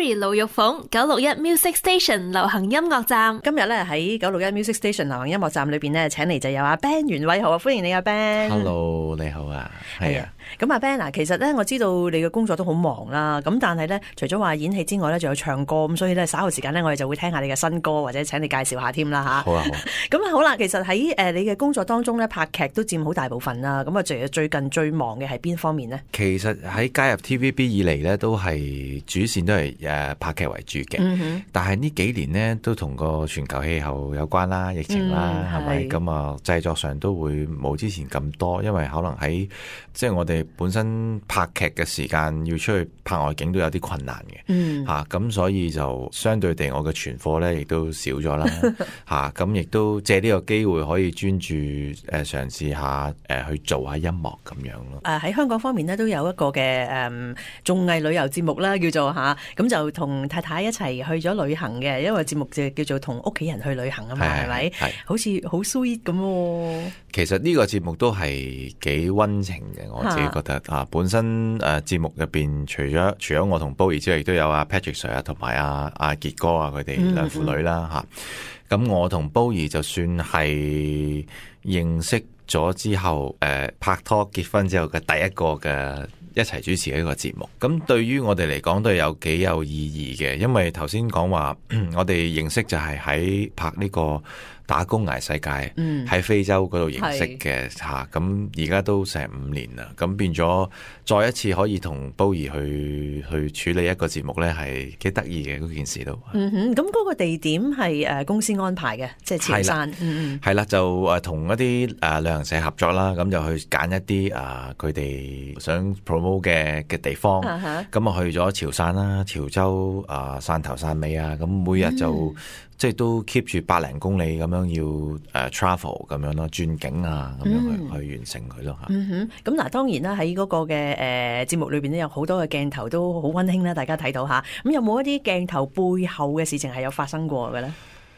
Terry 盧玉鳳961 Music Station 流行音樂站。今日咧喺961 Music Station 流行音樂站裏邊咧，請嚟就有阿 Ben 袁偉豪啊，歡迎你阿 Ben。Hello， 你好啊，係啊。咁阿 Ben 嗱，其實咧我知道你嘅工作都好忙啦，咁但係咧除咗話演戲之外咧，仲有唱歌，咁所以咧稍後時間咧我哋就會聽下你嘅新歌，或者請你介紹下添啦吓。好啊好啊。咁好啦，其實喺你嘅工作當中咧，拍劇都佔好大部分啦。咁啊，最近最忙嘅係邊方面呢？其實喺加入 TVB 以嚟咧，都係主線都係拍劇為主嘅。但係呢幾年呢，都同個全球氣候有關啦，疫情啦，係咪？咁啊，製作上都會冇之前咁多，因為可能喺即係我哋本身拍劇嘅時間要出去拍外景都有啲困難嘅。咁所以就相對地我嘅存貨咧亦都少咗啦。咁亦都借呢個機會可以專注嘗試下去做下音樂咁樣咯。喺香港方面呢，都有一個嘅綜藝旅遊節目啦，叫做咁就同太太一齊去咗旅行嘅，因為節目就叫做同屋企人去旅行啊嘛，係咪？好似好 sweet 咁。其實呢個節目都係幾溫情嘅，我自己覺得本身節目入邊除咗我同 Bowie 之外，亦都有阿 Patrick Sir 啊，同埋阿傑哥啊，佢哋兩父女啦吓。咁我同 Bowie 就算係認識咗之後，拍拖結婚之後嘅第一個嘅一齊主持嘅一個節目。咁對於我哋嚟講都係有幾有意義嘅，因為頭先講話我哋認識就係喺拍呢個打工捱世界，喺非洲嗰度認識嘅吓。咁而家都成5年啦，咁變咗再一次可以同 Bowie 去處理一個節目咧，係幾得意嘅嗰件事都。咁嗰個地點係公司安排嘅，即係潮汕。係啦，就同一啲旅行社合作啦，咁就去揀一啲佢哋想 promote 嘅地方。咁啊去咗潮汕啦、潮州汕頭、汕尾啊，咁每日就即係都 keep 住100零公里咁樣要travel 咁樣咯，轉景啊咁樣去完成佢咯嚇。咁嗱，當然啦，喺嗰個嘅節目裏邊咧，有好多嘅鏡頭都好溫馨啦，大家睇到嚇。咁有冇一啲鏡頭背後嘅事情係有發生過嘅咧？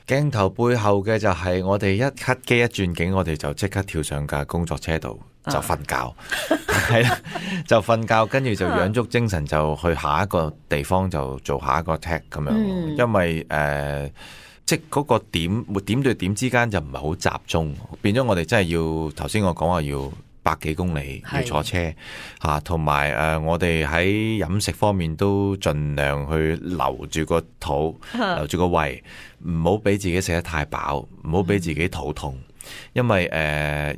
鏡頭背後嘅就係我哋一 cut 機一轉景，我哋就即刻跳上架工作車度就瞓覺，係啦，就瞓覺，跟住就養足精神就去下一個地方就做下一個 take 咁樣。因為即係嗰個點對點之間就唔係好集中，變咗我哋真係要頭先我講話要100幾公里要坐車嚇，同埋我哋喺飲食方面都盡量去留住個肚，留住個胃，唔好俾自己食得太飽，唔好俾自己肚痛。因為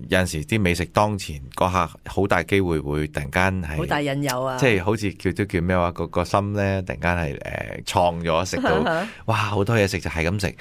有陣時啲美食當前嗰下，好大機會會突然間係好大引誘啊！即係好似叫咩話，個心咧突然間係創咗，食到哇好多嘢食就係咁食。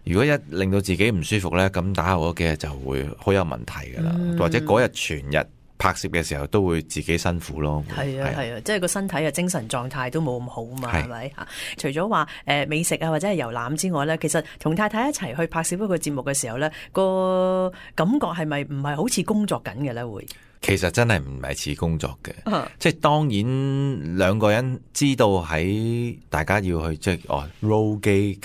如果一令到自己唔舒服咧，咁打後嗰幾日就會好有問題噶啦，或者嗰日全日拍攝嘅時候都會自己辛苦咯。係啊，即係個身體嘅精神狀態都冇咁好嘛，係咪嚇？除咗話美食啊或者係遊覽之外咧，其實同太太一齊去拍攝一個節目嘅時候咧，個感覺係咪唔係好似工作緊嘅咧？會其實真係唔係似工作嘅，即係當然兩個人知道喺大家要去即係roll 機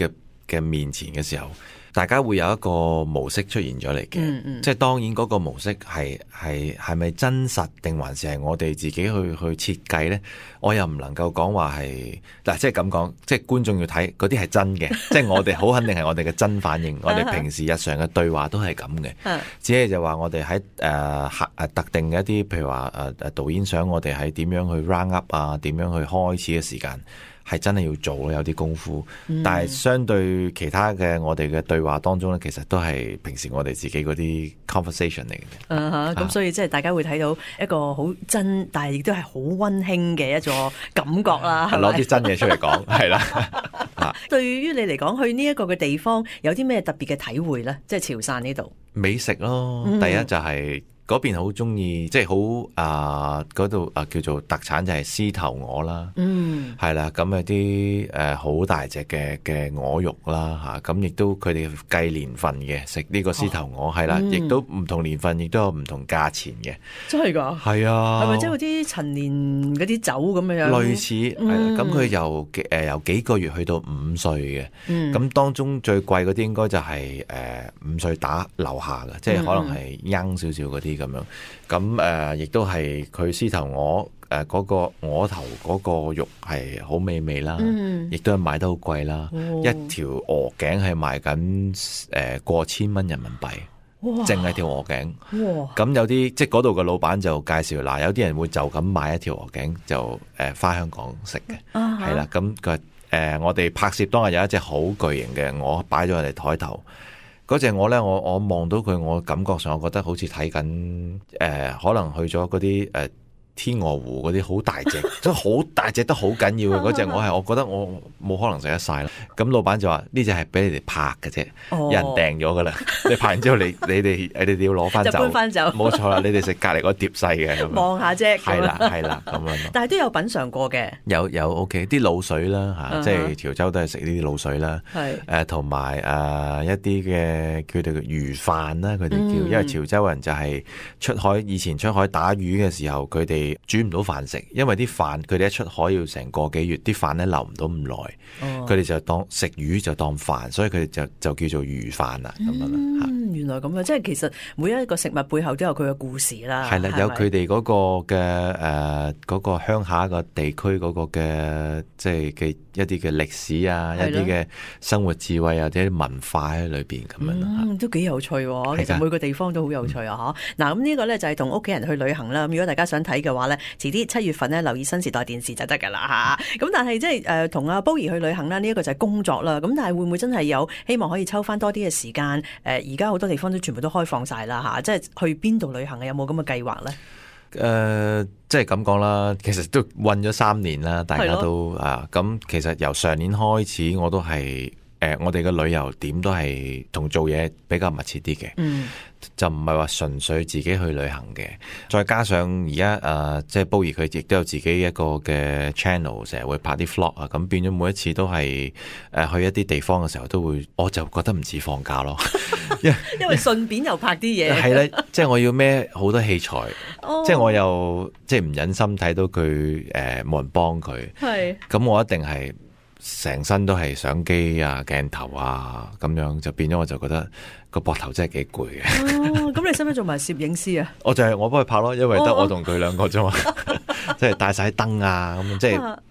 嘅面前嘅時候，大家會有一個模式出現咗嚟嘅，即係當然嗰個模式係咪真實定還是係我哋自己去設計呢？我又唔能夠講話係嗱，即係咁講，即係觀眾要睇嗰啲係真嘅，即係我哋好肯定係我哋嘅真反應，我哋平時日常嘅對話都係咁嘅，只係就話我哋喺特定嘅一啲，譬如話導演想我哋喺點樣去 round up 啊，點樣去開始嘅時間。係真係要做咯，有啲功夫。但係相對其他嘅我哋嘅對話當中咧，其實都係平時我哋自己嗰啲 conversation 嚟嘅。咁所以即係大家會睇到一個好真，但係亦都係好溫馨嘅一個感覺啦。攞啲真嘢出嚟講，係啦。對於你嚟講，去呢一個嘅地方有啲咩特別嘅體會咧？即係潮汕呢度美食咯，第一就係。嗰邊好中意，即係好嗰度叫做特產就係獅頭鵝啦，係啦，咁有啲好大隻嘅鵝肉啦嚇，咁亦都佢哋計年份嘅食呢個獅頭鵝係啦，亦都唔同年份，亦都有唔同價錢嘅。真係㗎？係啊，係咪即係嗰啲陳年嗰啲酒咁樣？類似係啦，咁佢由幾個月去到5歲嘅，咁當中最貴嗰啲應該就係5歲打樓下嘅，即係可能係 young 少少嗰啲。咁樣，咁亦都係佢獅頭嗰個鵝頭嗰個肉係好美味啦，亦都係賣得好貴啦。一條鵝頸係賣緊過千蚊人民幣。淨係條鵝頸，咁有啲即係嗰度嘅老闆就介紹，嗱有啲人會就咁買一條鵝頸就返香港食嘅，係啦，咁佢我哋拍攝當日有一隻好巨型嘅鵝擺咗我哋台頭，嗰隻鵝咧我望到佢，我感覺上我覺得好似睇緊可能去咗嗰啲天鵝湖嗰啲好大隻，即係好大隻得好緊要嘅嗰隻，我覺得我冇可能食得晒啦。咁老闆就話呢隻係俾你哋拍嘅啫，有人訂咗噶啦。你拍完之後你哋要攞翻走，就搬翻走。冇錯啦，你哋食隔離嗰碟細嘅，望下啫。係啦咁樣。但係都有品嚐過嘅。有 OK 啲滷水啦嚇，即係潮州都係食呢啲滷水啦。係同埋一啲嘅佢哋嘅魚飯啦，佢哋叫，因為潮州人就係以前出海打魚嘅時候，佢哋煮唔到飯食，因為啲飯佢哋一出海要成個幾月，啲飯咧留唔到咁耐，佢哋就當食魚就當飯，所以佢哋就叫做魚飯啦咁樣啦。原來咁樣，即係其實每一個食物背後都有佢嘅故事啦。係啦，有佢哋嗰個嘅嗰個鄉下個地區嗰個嘅即係嘅一啲嘅歷史啊，一啲嘅生活智慧或者文化喺裏邊咁樣啦。都幾有趣喎！其實每個地方都好有趣啊！嗱，咁呢個咧就係同屋企人去旅行啦。咁如果大家想睇嘅話咧，遲啲7月份咧留意新時代電視就得㗎啦嚇。咁但係即係同阿 Bowie 去旅行啦，呢一個就係工作啦。咁但係會唔會真係有希望可以抽翻多啲嘅時間？而家好多地方都全部都開放晒啦嚇，即係去邊度旅行有冇咁嘅計劃咧？即係咁講啦，其實都韞咗3年啦，大家都咁其實由上年開始我都係我哋嘅旅遊點都係同做嘢比較密切啲嘅。就唔係話純粹自己去旅行嘅，再加上而家即係 Bowie 佢亦都有自己一個嘅 channel， 成日會拍啲 vlog 啊，咁變咗每一次都係去一啲地方嘅時候都會，我就覺得唔似放假咯，因為順便又拍啲嘢，係啦，即係我要孭好多器材，即係我又即係唔忍心睇到佢冇人幫佢，咁我一定係成身都係相機啊、鏡頭啊咁樣，就變咗我就覺得個膊頭真係幾攰嘅。咁你使唔使做埋攝影師啊？我幫佢拍咯，因為得我同佢兩個啫嘛，即係帶晒燈啊咁，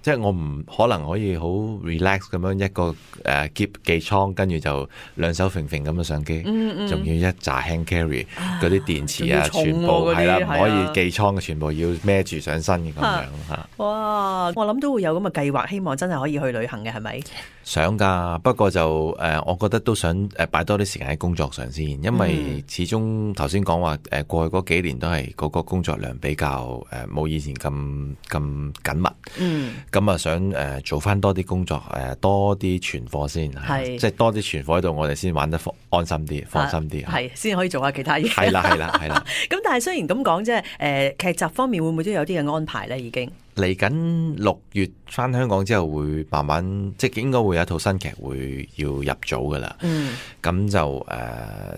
即係我唔可能可以好 relax 咁樣一個寄倉，跟住就兩手揈揈咁嘅相機，仲要一紮 hand carry 嗰啲電池啊，全部係啦，唔可以寄倉嘅，全部要孭住上身嘅咁樣嚇。哇！我諗都會有咁嘅計劃，希望真係可以去旅行嘅，係咪？想㗎，不過就我覺得都想擺多啲時間喺工作上先，因為始終頭先講話過去嗰幾年都係嗰個工作量比較冇以前咁緊密，咁啊想做翻多啲工作，多啲存貨先，即係多啲存貨喺度，我哋先玩得安心啲、放心啲，係先可以做下其他嘢。係啦。咁但係雖然咁講啫，劇集方面會唔會都有啲嘅安排咧？已經嚟緊6月翻香港之後會慢慢，即係應該會有一套新劇會要入組噶啦。咁就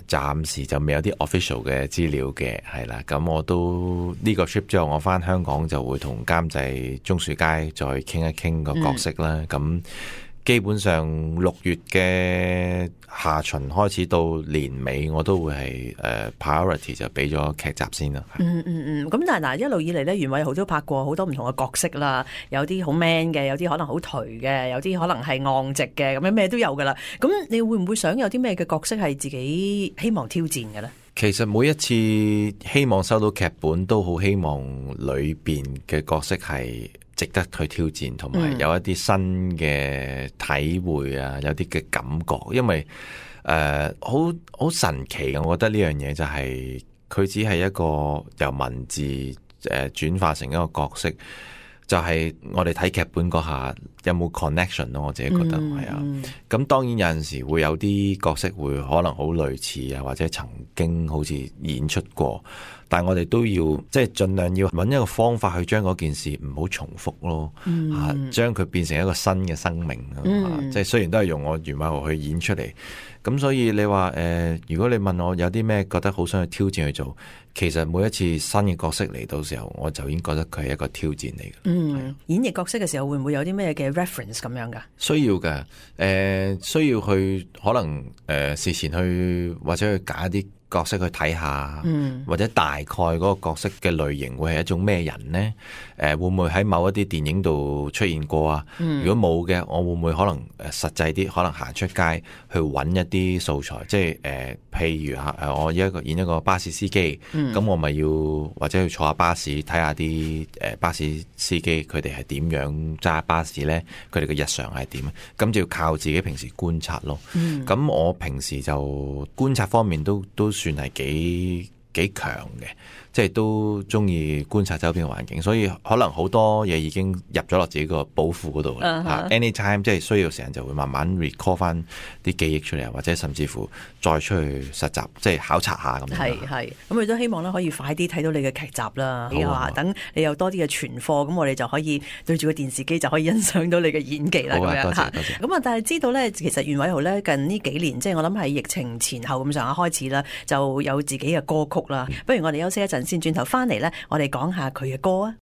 暫時就未有啲 official 嘅資料嘅，係啦。咁我都呢個 trip 之後，我翻香港就會同監製鍾樹佳再傾一傾個角色啦。咁基本上6月嘅下旬開始到年尾，我都會係priority 就俾咗劇集先啦。咁但係嗱，一路以嚟咧，袁偉豪都拍過好多唔同嘅角色啦，有啲好 man 嘅，有啲可能好頹嘅，有啲可能係昂直嘅，咁樣咩都有噶啦。咁你會唔會想有啲咩嘅角色係自己希望挑戰嘅咧？其實每一次希望收到劇本，都好希望裏邊嘅角色係值得去挑戰，同埋有一啲新嘅體會啊，有啲嘅感覺，因為好神奇嘅，我覺得呢樣嘢就係佢只係一個由文字轉化成一個角色，就係我哋睇劇本嗰下有冇 connection 咯，我自己覺得係啊。咁當然有陣時會有啲角色會可能好類似啊，或者曾經好似演出過。但係我哋都要即係盡量要揾一個方法去將嗰件事唔好重複咯，將佢變成一個新嘅生命。即係雖然都係用我袁偉豪去演出嚟，咁所以你話如果你問我有啲咩覺得好想去挑戰去做，其實每一次新嘅角色嚟到時候，我就已經覺得佢係一個挑戰嚟嘅。演繹角色嘅時候會唔會有啲咩嘅 reference 咁樣噶？需要嘅，需要去可能事前去或者去揀一啲角色去睇下，或者大概嗰個角色嘅類型會係一種咩人呢？會唔會喺某一啲電影度出現過啊？如果冇嘅，我會唔會可能實際啲，可能行出街去揾一啲素材，即係譬如我演一個巴士司機，咁我咪要或者去坐下巴士睇下啲巴士司機佢哋係點樣揸巴士呢？佢哋嘅日常係點？咁就要靠自己平時觀察咯。咁我平時就觀察方面都算係幾強嘅，即係都中意觀察周邊嘅環境，所以可能好多嘢已經入咗落自己個寶庫嗰度啦。Anytime 即係需要時間就會慢慢 recall 翻啲記憶出嚟，或者甚至乎再出去實習，即係考察下咁樣。係，咁我都希望咧可以快啲睇到你嘅劇集啦。等你有多啲嘅存貨，咁我哋就可以對住個電視機就可以欣賞到你嘅演技啦。好啊，多謝。咁啊，但係知道咧，其實袁偉豪咧近呢幾年，即係我諗係疫情前後咁上下開始啦，就有自己嘅歌曲啦。不如我哋休息一陣先，轉頭翻嚟咧，我哋講下佢嘅歌啊。